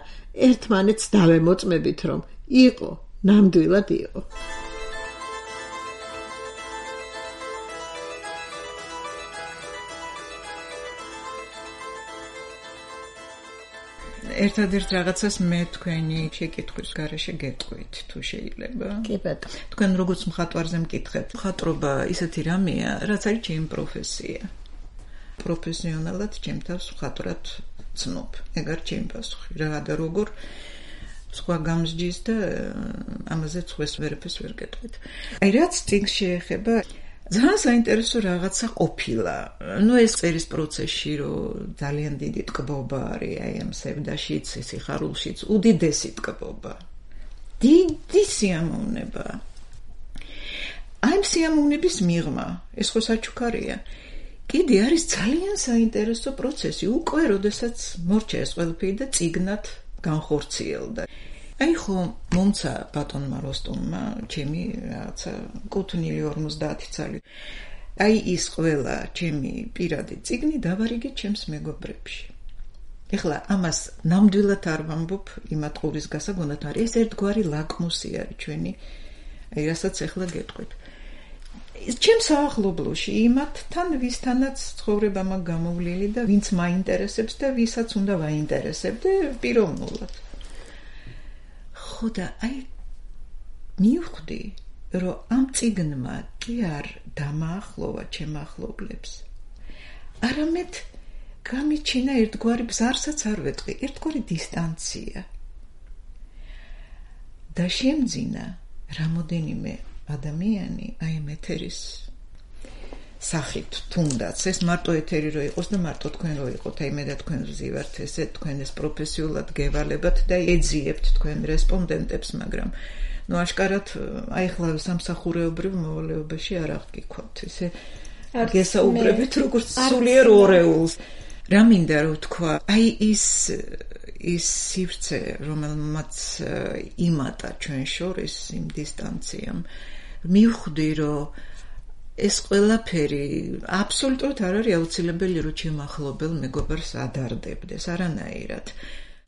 ერთმანეთს დავემოწმებით, რომ იყო, ნამდვილად იყო. ერთადერთ რაღაცას მე თქვენი შეკითხვის გარეშე გეტყვით, თუ შეიძლება. კი ბატონო. თქვენ როგორც მხატვარზე მკითხეთ, მხატვრობა ისეთი რამეა, რაც არის ჩემი პროფესია. პროფესიონალად ჩემ თავს მხატვრად ვცნობ. ეგ არის ჩემი პასუხი. რა და როგორ სხვა გამსჯის და ამაზე სხვას ვერაფერს ვერ გეტყვით. აი რაც წიგნს შეეხება, ძალიან საინტერესო რაღაცა ყოფილა. ნუ ეს წერის პროცესში, რომ ძალიან დიდი ტკბობა არის, აი ამ სევდაშიც, სიხარულშიც, უდიდესი ტკბობა. დიდი სიამოვნება. აი სიამოვნების მიღმა, ეს ხო საჩუქარია. კიდე არის ძალიან საინტერესო პროცესი, უკვე როდესაც მორჩა ეს ყველაფერი და წიგნად განხორციელდა. აი ხო მომცა ბატონმა როსტომმა ჩემი რაღაცა კუთვნილი ორმოცდაათი წელი. აი ის ყველა ჩემი პირადი წიგნი დავარიგე ჩემს მეგობრებში. ეხლა ამას ნამდვილად არ ვამბობ იმათ ყურის გასაგონად, არის ეს ერთგვარი ლაკმუსი არის ჩვენი, აი რასაც ეხლა გეტყვით. ჩემ საახლობლოში იმათთან ვისთანაც ცხოვრება მაგ გამოვლილი და ვინც მაინტერესებს და ვისაც უნდა ვაინტერესებდე პიროვნულად. ხო და აი მივხვდი, რომ ამ წიგნმა კი არ დამაახლოვა ჩემ ახლობლებს. არამედ გამიჩინა ერთგვარი ბზარსაც არ ვეტყვი, ერთგვარი დისტანცია. და შემძინა რამოდენიმე ადამიანი აი ამ ეთერის სახით თუნდაც ეს მარტო ეთერი რო იყოს და მარტო თქვენ რო იყოთ, აი მე და თქვენ ვზივართ ესე თქვენ ეს პროფესიულად გევალებათ და ეძიებთ თქვენ რესპონდენტებს, მაგრამ ნუ აშკარად აი ხლა სამსახურეობრივ მოვალეობაში არ აღგიქვათ ესე გესაუბრებით როგორც სულიერ ორეულს. რა მინდა რომ თქვა, აი ის ის სივრცე, რომელმაც იმატა ჩვენ შორის იმ დისტანციამ, მივხვდი, რომ ეს ყველაფერი აბსოლუტურად არ არის აუცილებელი, რომ ჩემ ახლობელ მეგობარს ადარდებდეს, არანაირად.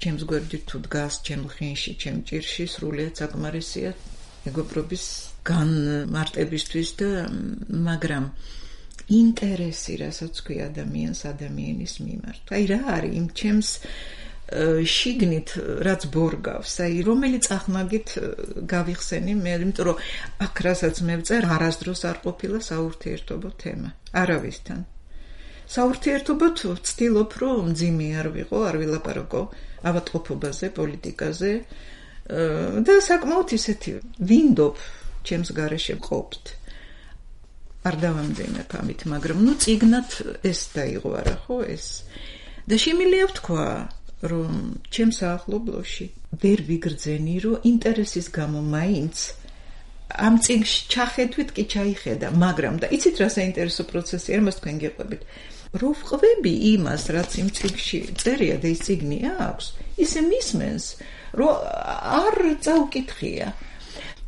ჩემს გვერდით თუ დგას, ჩემ ხინში, ჩემ ჭირში, სრულიად საკმარისია მეგობრობის განმარტებისთვის და მაგრამ ინტერესი, რასაც ქვი ადამიანს ადამიანის მიმართ. აი რა არის იმ ჩემს შიგნით რაც ბორგავს, აი რომელი წახნაგით გავიხსენი მე, იმიტომ რომ აქ რასაც მე ვწერ, არასდროს არ ყოფილა საურთიერთობო თემა. არავისთან. საურთიერთობოდ ვცდილობ, რომ მძიმე არ ვიყო, არ ვილაპარაკო ავადმყოფობაზე, პოლიტიკაზე და საკმაოდ ისეთი ვინდობ ჩემს გარეშე ყოფთ. არ დავამძიმებ ამით, მაგრამ ნუ წიგნად ეს დაიღვარა, ხო ეს. და შემიძლია ვთქვა, რომ ჩემს ახლობლოში ვერ ვიგრძენი, რომ ინტერესის გამო მაინც ამ წიგნში ჩახედვით კი ჩაიხედა, მაგრამ და იცით რა საინტერესო პროცესია, ამას თქვენ გიყვებით. რო ვყვები იმას, რაც იმ წიგნში წერია და ის წიგნი აქვს, ისე მისმენს, რომ არ წაუკითხია.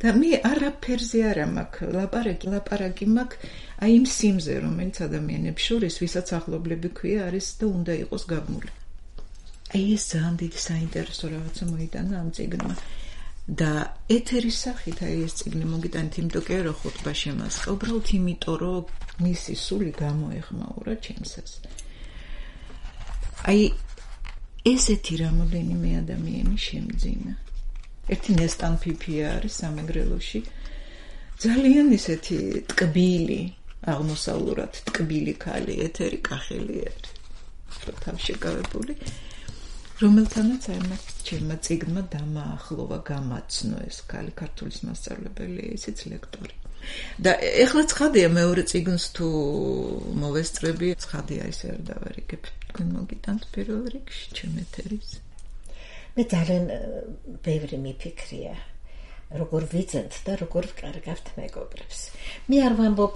და მე არაფერზე არა მაქვს ლაპარაკი, ლაპარაკი მაქვს აი იმ სიმზე, რომელიც ადამიანებს შორის, ვისაც ახლობლები ქვია, არის და უნდა იყოს გაბმული. აი ეს ძალიან დიდი საინტერესო რაღაცა მოიტანა ამ წიგნმა. და ეთერის სახით აი ეს წიგნი მოგიტანით, იმიტომ კი არა ხუთბა შემასყა, უბრალოდ იმიტომ, რომ მისი სული გამოეხმაურა ჩემსას. აი ესეთი რამოდენიმე ადამიანი შემძინა. ერთი ნესტან ფიფია არის სამეგრელოში. ძალიან ისეთი ტკბილი, აღმოსავლურად ტკბილი ქალი, ეთერი კახელი არის. თავშეკავებული, რომელთანაც აი მას ჩემმა წიგნმა დამაახლოვა, გამაცნო ეს ქალი, ქართულის მასწავლებელი, ისიც ლექტორი. და ეხლა ცხადია მეორე წიგნს თუ მოვესწრები, ცხადია ისე არ დავარიგებ. თქვენ მოგიტანთ პირველ რიგში ჩემ ეთერის. მე ძალიან ბევრი მიფიქრია, როგორ ვიძენთ და როგორ ვკარგავთ მეგობრებს. მე არ ვამბობ,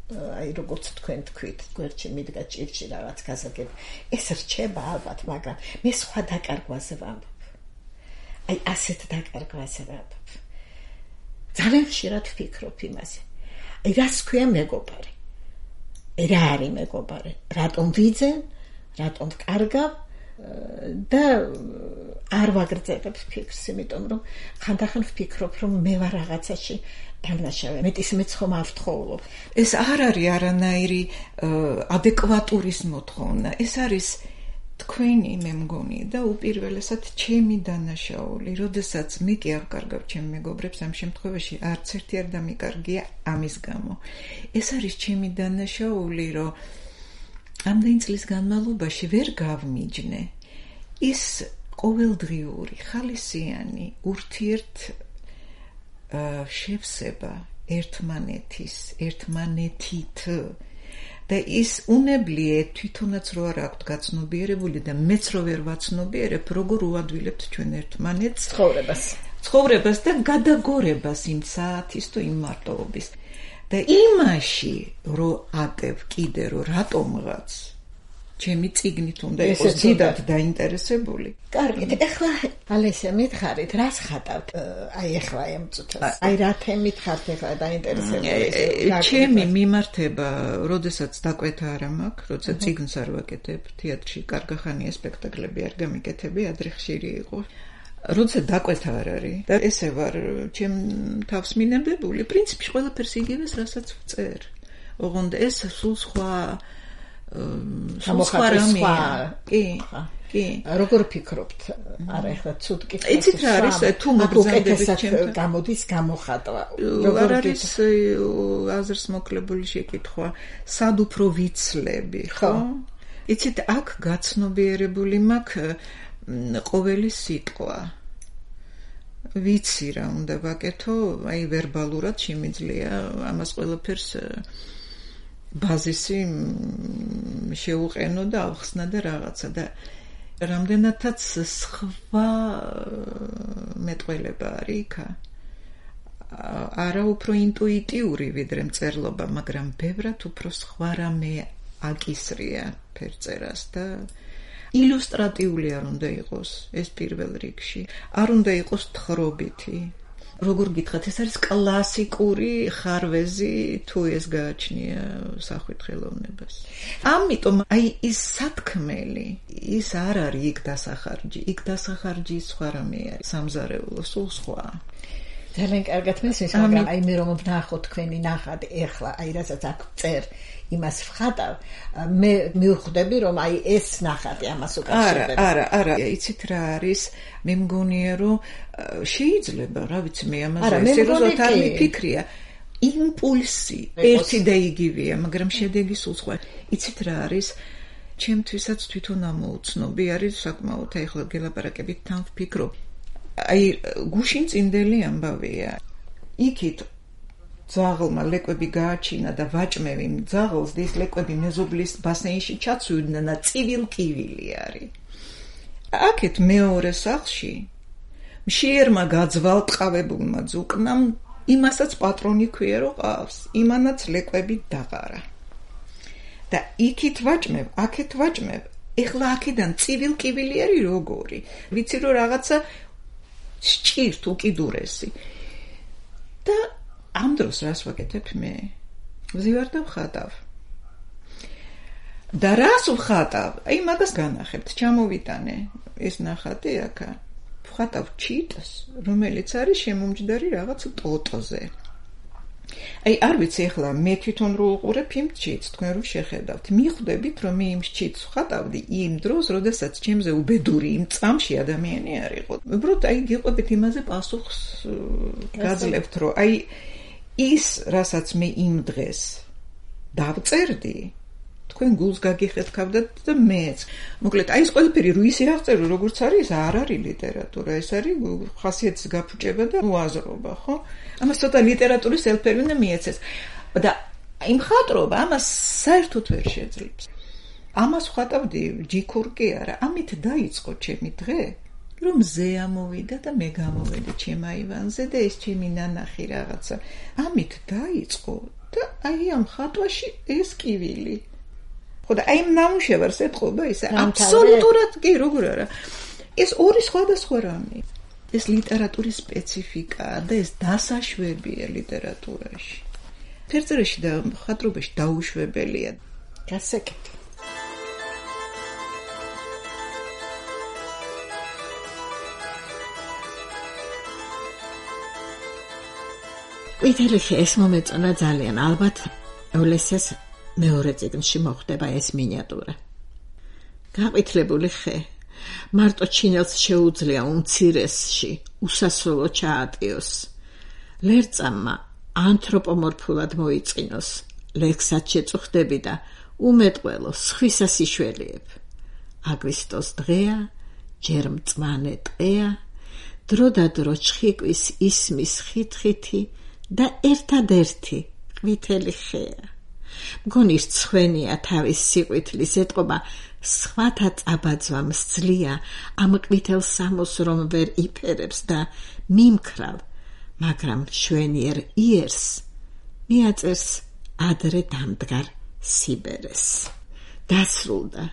აი როგორც თქვენ თქვით, გვერდში მიდგა ჭირში რაღაც გასაგებ. ეს რჩება ალბათ, მაგრამ მე სხვა დაკარგვაზე ვამბობ. აი ასეთ დაკარგვაზე ვამბობ. ძალიან ხშირად ვფიქრობ იმაზე. აი რას ქვია მეგობარი? რა არის მეგობარი? რატომ ვიძენ? რატომ ვკარგავ? და არ ვაგრძელებ ფიქრს, იმიტომ რომ ხანდახან ვფიქრობ, რომ მე ვარ რაღაცაში დამნაშავე. მეტისმეც ხომ არ ვთხოვლობ. ეს არ არის არანაირი ადეკვატურის მოთხოვნა. ეს არის თქვენი, მე მგონი, და უპირველესად ჩემი დანაშაული. როდესაც მე კი არ ვკარგავ ჩემ მეგობრებს, ამ შემთხვევაში არც ერთი არ დამიკარგია ამის გამო. ეს არის ჩემი დანაშაული, რომ ამდენი წლის განმავლობაში ვერ გავმიჯნე ის ყოველდღიური, ხალისიანი ურთიერთ შევსება ერთმანეთის, ერთმანეთით და ის უნებლიე თვითონაც რო არ აქვთ გაცნობიერებული და მეც რო ვერ ვაცნობიერებ, როგორ უადვილებთ ჩვენ ერთმანეთს ცხოვრებას, ცხოვრებას და გადაგორებას იმ საათის თუ იმ მარტოობის. და იმაში რო ატევ კიდე რო რატომღაც ჩემი წიგნით უნდა იყოს დიდად დაინტერესებული. კარგით, ეხლა ალესია მითხარით, რას ხატავთ? აი ეხლა ამ წუთას. აი რა თემით ხართ ეხლა დაინტერესებული? ჩემი მიმართება, როდესაც დაკვეთა არ მაქვს, როცა წიგნს არ ვაკეთებ, თეატრში კარგახანია სპექტაკლები არ გამიკეთები, ადრე ხშირი იყო. როცა დაკვეთა არ არის და ესე ვარ ჩემ თავს მინებებული, პრინციპში ყველაფერს იგივეს, რასაც ვწერ. ოღონდ ეს სულ სხვა სხვა რამე. კი. კი. როგორ ფიქრობთ? არა, ეხლა ცუდ კითხვა. იცით რა არის თუ მოგზადებით ჩემთან გამოდის გამოხატვა. როგორ არის აზრს მოკლებული შეკითხვა, სად უფრო ვიცლები, ხო? იცით აქ გაცნობიერებული მაქვს ყოველი სიტყვა. ვიცი რა უნდა ვაკეთო, აი ვერბალურად შემიძლია ამას ყველაფერს ბაზისი შეუყენო და ავხსნა და რაღაცა და რამდენადაც სხვა მეტყველება არის იქ. არა უფრო ინტუიტიური ვიდრე მწერლობა, მაგრამ ბევრად უფრო სხვა რამე აკისრია ფერწერას და ილუსტრატიული არ უნდა იყოს ეს პირველ რიგში. არ უნდა იყოს თხრობითი. როგორ გითხრათ, ეს არის კლასიკური ხარვეზი თუ ეს გააჩნია სახვით ხელოვნებას. ამიტომ აი ის სათქმელი, ის არ არის იქ დასახარჯი, იქ დასახარჯი სხვა რამე არის, სამზარეულო სულ სხვა. ძალიან კარგად მესმის, მაგრამ აი მე რომ ვნახო თქვენი ნახატი ეხლა, აი რასაც აქ წერ იმას ვხატავ, მე მივხვდები რომ აი ეს ნახატი ამას უკავშირდება. არა, არა, არა, იცით რა არის, მე მგონია რომ შეიძლება, რა ვიცი, მე ამაზე სერიოზულად არ მიფიქრია. იმპულსი ერთი და იგივეა, მაგრამ შედეგი სულ სხვა. იცით რა არის? ჩემთვისაც თვითონ ამოუცნობი არის საკმაოდ, ეხლა გელაპარაკებით თან ვფიქრობ. აი გუშინ წინდელი ამბავია. იქით ძაღლმა ლეკვები გააჩინა და ვაჭმევი ძაღლს და ის ლეკვები მეზობლის ბასეინში ჩაცვიდნენ და ცივილკივილი არის. აქეთ მეორე სახლში მშიერმა გაძვალტყავებულმა ძუკნამ იმასაც პატრონი ქვია რომ ყავს, იმანაც ლეკვები დაყარა. და იქით ვაჭმევ, აქეთ ვაჭმევ, ეხლა აქედან ცივილკივილი არის როგორი. ვიცი რომ რაღაცა სჭირთ უკიდურესი. და ამ დროს რას ვაკეთებ მე? ვზივარ და ვხატავ. და რას ვხატავ? აი მაგას განახებთ, ჩამოვიტანე ეს ნახატი აქა. ვხატავ ჩიტს, რომელიც არის შემომჯდარი რაღაც ტოტოზე. აი არ ვიცი ეხლა მე თვითონ რო უყურებ იმ ჩიტს, თქვენ რო შეხედავთ, მიხვდებით რომ მე იმ ჩიტს ვხატავდი იმ დროს, როდესაც ჩემზე უბედური იმ წამში ადამიანი არ იყო. უბრალოდ აი გიყვებით იმაზე პასუხს გაძლევთ, რომ აი ის, რასაც მე იმ დღეს დავწერდი, თქვენ გულს გაგიხეთქავდათ და მეც. მოკლედ, აი ეს ყველაფერი რო ისე აღწერო, როგორც არის, არ არის ლიტერატურა, ეს არის ხასიათის გაფუჭება და უაზრობა, ხო? ამას ცოტა ლიტერატურის ელფერი უნდა მიეცეს. და იმ ხატრობა ამას საერთოდ ვერ შეძლებს. ამას ვხატავდი ჯიქურ კი არა, ამით დაიწყო ჩემი დღე. რომ ზე ამოვიდა და მე გამოვედი ჩემ აივანზე და ეს ჩემი ნანახი რაღაცა ამით დაიწყო და აი ამ ხატვაში ეს კივილი. ხო და აი ნამუშევარს ეთყობა ის აბსოლუტურად კი როგორ არა. ეს ორი სხვადასხვა რამე. ეს ლიტერატურის სპეციფიკაა და ეს დასაშვებია ლიტერატურაში. ფერწერაში და ხატრობაში დაუშვებელია. გასაკეთე. ვითელი ეს მომეწონა ძალიან, ალბათ ოლესეს მეორე წიგნში მოხდება ეს მინიატურა. გაყვითლებული ხე მარტო ჩინელს შეუძლია უმცირესში უსასრულო ჩაატიოს. ლერწამმა ანთროპომორფულად მოიწყინოს, ლექსად შეწუხდები და უმეტყველო სხვისას იშველიებ. აგვისტოს დღეა, ჯერ მწვანე ტყეა, დრო და დრო ჩხიკვის ისმის ხითხითი და ერთადერთი ყვითელი ხეა. მგონის ცხვენია თავის სიყვითლის ეტყობა, სხვათა წაბაძვამ სძლია ამ ყვითელ სამოს რომ ვერ იფერებს და მიმქრავ, მაგრამ შვენიერ იერს მიაწერს ადრე დამდგარ სიბერეს. დასრულდა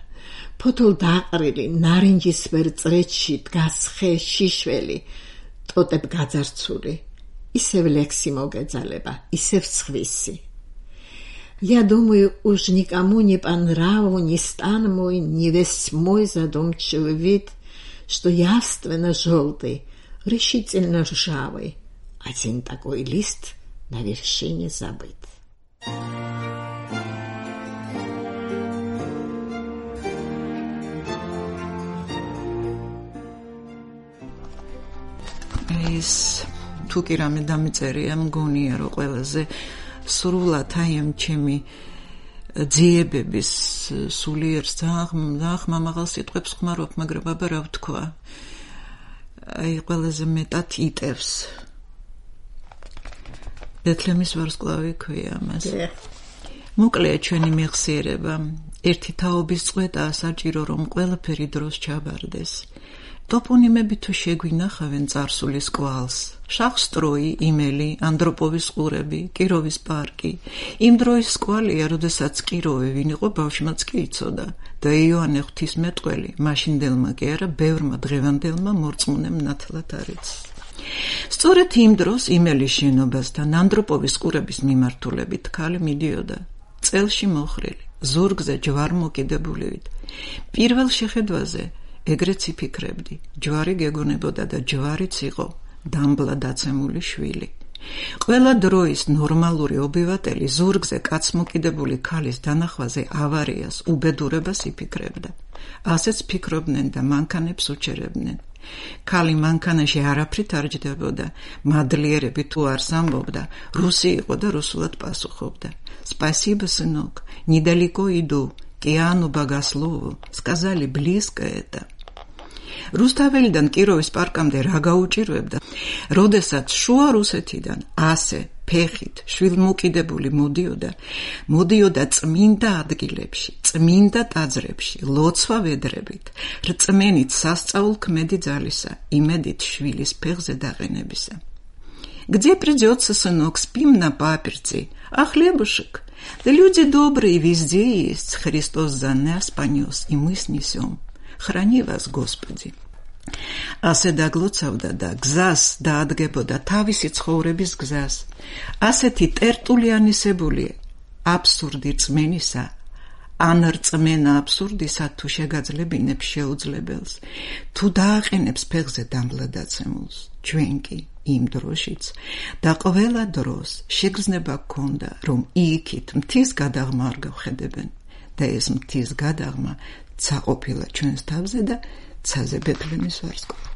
ფოთოლ დაყრილი ნარინჯისფერ წრეჩში დგას ხე შიშველი, ტოტებ გაძარცული, ისევ ლექსი მოგეძალება, ისევ სხვისი. Я думаю, уж никому не по нраву не стан мой, не весь мой задумчивый вид, что явственно желтый, решительно ржавый, один такой лист на вершине забыт. ის თუ კი რამე დამიწერია, მგონია რომ ყველაზე სრულად აი ამ ჩემი ძიებების სულიერ ძალიან ხმამაღალ სიტყვებს ხმარობ, მაგრამ აბა რა ვთქვა. აი ყველაზე მეტად იტევს. ბეთლემის ვარსკვლავი ქვია მას. მოკლეა ჩვენი მეხსიერება. ერთი თაობის წვეტაა საჭირო, რომ ყველაფერი დროს ჩაბარდეს. ტოპონიმები თუ შეგვინახავენ წარსულის კვალს, შახსტროი, იმელი, ანდროპოვის ყურები, კიროვის პარკი. იმ დროის კვალია, როდესაც კიროვი ვინ იყო, ბავშვმაც კი იცოდა და იოანე ღვთისმეტყველი, მაშინდელმა კი არა, ბევრმა დღევანდელმა მორწმუნემ ნათლად არის. სწორედ იმ დროს იმელის შენობასთან ანდროპოვის ყურების მიმართულებით ქალი მიდიოდა, წელში მოხრილი, ზურგზე ჯვარმოკიდებულივით. პირველ შეხედვაზე ეგრეც იფიქრებდი, ჯვარი გეგონებოდა და ჯვარიც იყო დამბლა დაცემული შვილი. ყველა დროის ნორმალური ობივატელი ზურგზე კაცმოკიდებული ქალის დანახვაზე ავარიას, უბედურებას იფიქრებდა. ასეც ფიქრობდნენ და მანქანებს უჩერებდნენ. ქალი მანქანაში არაფრით არ ჯდებოდა, მადლიერები თუ არს ამბობდა, რუსი იყო და რუსულად პასუხობდა. Спасибо, сынок, недалеко иду, к Иоанну Богослову, сказали, близко это. რუსთაველიდან კიროვის პარკამდე რა გაუჭირვებდა, როდესაც შუა რუსეთიდან ასე ფეხით შვილმოკიდებული მოდიოდა, მოდიოდა წმინდა ადგილებში, წმინდა ტაძრებში, ლოცვა ვედრებით, რწმენით სასწაულ ქმედი ძალისა, იმედით შვილის ფეხზე დაყენებისა. Где придется, сынок, спим на паперти, а хлебушек? Да люди добрые везде есть, Христос за нас понес, и мы снесем. Храни вас, Господи. ასე დაგლოცავდა და გზას დაადგებოდა თავისი ცხოვრების გზას. ასეთი ტერტულიანისებული აბსურდი რწმენისა, ან რწმენა აბსურდისა თუ შეგაძლებინებს შეუძლებელს, თუ დააყენებს ფეხზე დამბლადაცემულს, ჩვენ კი იმ დროშიც და ყველა დროს შეგრძნება გქონდა, რომ იქით მთის გადაღმა არ გავხედებენ და ეს მთის გადაღმა ცა ყოფილა ჩვენს თავზე და ცაზე ბეთლემის ვარსკვლავი.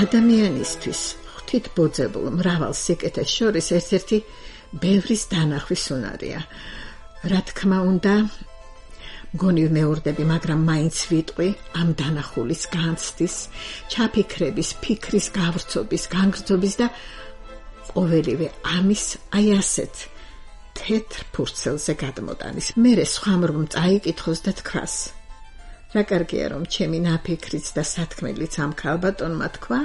ადამიანისთვის ღვთით ბოძებულ მრავალ სიკეთეს შორის ერთ-ერთი ბევრის დანახვის უნარია. რა თქმა უნდა, გონი მეურდები, მაგრამ მაინც ვიტყვი ამ დანახულის განცდის, ჩაფიქრების, ფიქრის გავრცობის, განგრძობის და ყოველივე ამის აი ასეთ თეთრ ფურცელზე გადმოტანის. მერე სხვამ წაიკითხოს და თქვას. რა კარგია, რომ ჩემი ნაფიქრიც და სათქმელიც ამ ქალბატონმა თქვა,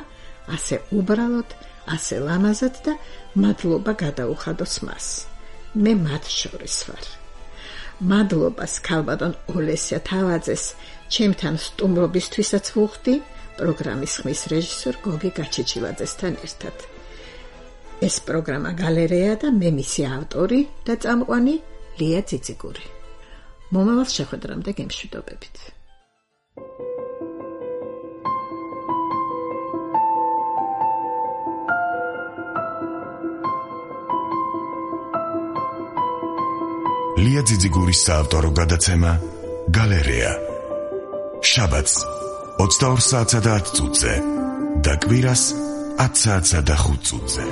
ასე უბრალოდ, ასე ლამაზად და მადლობა გადაუხადოს მას. მე მათ შორის ვარ. მადლობას ქალბატონ ოლესია თავაძეს ჩემთან სტუმრობისთვისაც ვუხდი პროგრამის ხმის რეჟისორ გოგი გაჩეჩილაძესთან ერთად. ეს პროგრამა გალერეა და მე მისი ავტორი და წამყვანი ლია ძიძიგური. მომავალ შეხვედრამდე გემშვიდობებით. ლია ძიძიგურის საავტორო გადაცემა გალერეა. შაბათს ოცდაორ საათსა და ათ წუთზე და კვირას ათ საათსა და ხუთ წუთზე.